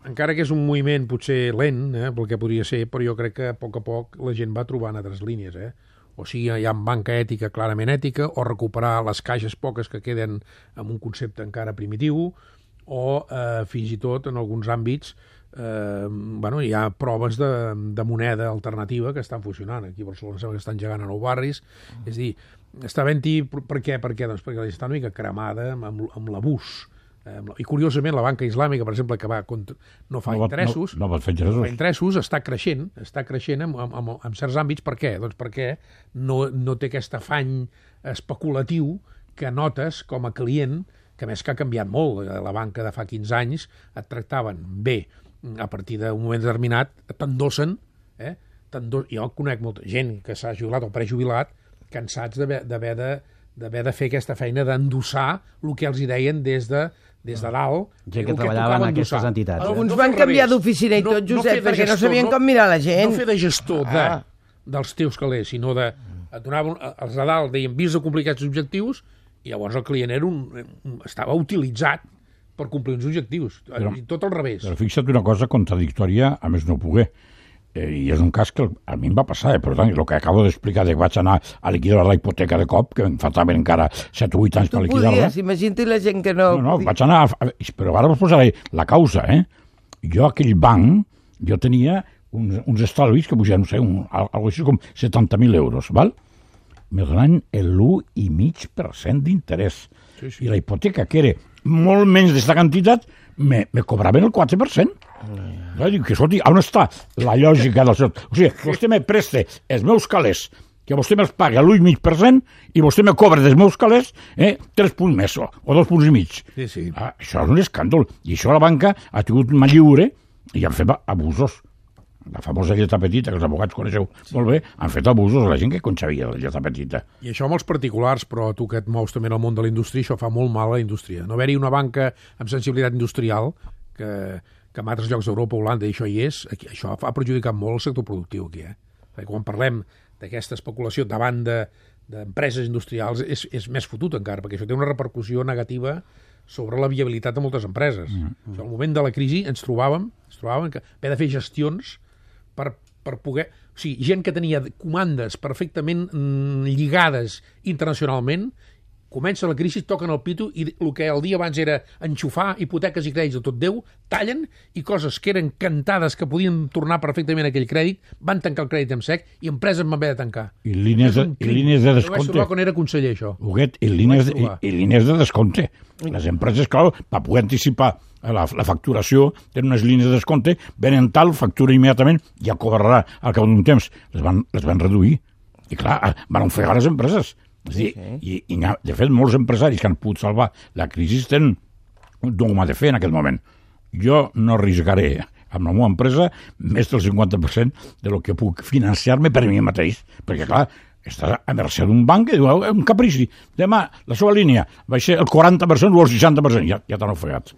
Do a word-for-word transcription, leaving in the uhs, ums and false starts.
encara que és un moviment potser lent, eh, pel que podria ser, però jo crec que a poc a poc la gent va trobant altres línies, eh? O sigui, hi ha banca ètica clarament ètica, o recuperar les caixes poques que queden amb un concepte encara primitiu, o eh, fins i tot en alguns àmbits eh, bueno, hi ha proves de, de moneda alternativa que estan funcionant. Aquí a Barcelona sembla que estan gegant a nou barris. Mm. És a dir, està havent-hi... Per què? Per què? Doncs perquè està una mica cremada amb, amb l'abús. I curiosament la banca islàmica, per exemple, que va contra, no fa no, interessos, no, no fa interessos. No fa interessos, està creixent, està creixent en, en, en certs àmbits. Per què? Doncs perquè no, no té aquest afany especulatiu que notes com a client, que més que ha canviat molt. La banca de fa quinze anys et tractaven bé, a partir d'un moment determinat t'endossen, eh? T'endos... jo conec molta gent que s'ha jubilat o prejubilat, cansats d'haver de, d'haver de fer aquesta feina d'endossar el que els hi deien des de des de dalt, gent que treballava en aquestes entitats. Alguns van canviar d'oficina i tot, Josep, perquè no sabien com mirar la gent. No fer de gestor de, dels teus calés, sinó de... Et donaven, els de dalt deien, vist de complir aquests objectius, i llavors el client era un, estava utilitzat per complir uns objectius. Però, tot al revés. Però fixa't una cosa contradictòria, a més no pogué. Eh, I és un cas que a mi em va passar, eh? Per tant, el que acabo d'explicar de que vaig anar a liquidar la hipoteca de cop, que em faltaven encara set o vuit anys per liquidar-la. Tu podies, imagina't la gent que no... No, no, vaig anar... A... Però ara vos posaré la causa, eh? Jo, aquell banc, jo tenia uns, uns estalvis que pujaven, no sé, un, algo així com setanta mil euros, val? Me donaven l'u i mig per cent d'interès. Sí, sí. I la hipoteca, que era molt menys d'aquesta quantitat, me, me cobraven el quatre per cent. Mm. Dic que, escolti, on està la lògica del seu... O sigui, vostè me preste els meus calés, que vostè me'ls paga l'u i mig per cent, i vostè me cobra dels meus calés eh, tres punts més, o, o dos punts i mig. Sí, sí. Ah, això és un escàndol. I això la banca ha tingut mà lliure i han fet abusos. La famosa lletra petita, que els abogats coneixeu sí. molt bé, han fet abusos a la gent que conxavia la lletra petita. I això amb els particulars, però tu que et mous també en el món de la indústria, això fa molt mal a la indústria. No haver-hi una banca amb sensibilitat industrial, que, que en altres llocs d'Europa, Holanda, i això hi és, aquí, això ha perjudicat molt el sector productiu aquí. Eh? Perquè quan parlem d'aquesta especulació davant d'empreses de, industrials, és, és més fotut encara, perquè això té una repercussió negativa sobre la viabilitat de moltes empreses. Mm -hmm. Al moment de la crisi ens trobàvem, ens trobàvem que haver de fer gestions per, per poder... O sigui, gent que tenia comandes perfectament mm, lligades internacionalment, comença la crisi, toquen el pito i el que el dia abans era enxufar hipoteques i crèdits de tot Déu, tallen i coses que eren cantades que podien tornar perfectament a aquell crèdit, van tancar el crèdit en sec i empreses van haver de tancar. I línies de, i línies de descompte. Ho vaig trobar quan era conseller, això. Huguet, i línies, de, i, i línies de descompte. Les empreses, clar, per poder anticipar la, la facturació, tenen unes línies de descompte, venen tal, factura immediatament, ja cobrarà al cap d'un temps. Les van, les van reduir. I clar, van ofegar les empreses. És dir, okay. i, i, de fet, molts empresaris que han pogut salvar la crisi tenen un dogma de fer en aquest moment. Jo no arriscaré amb la meva empresa més del cinquanta per cent de lo que puc financiar-me per mi mateix. Perquè, clar, estàs a mercè d'un banc que diu, un caprici, demà la seva línia va ser el quaranta per cent o el seixanta per cent, ja, ja t'han ofegat.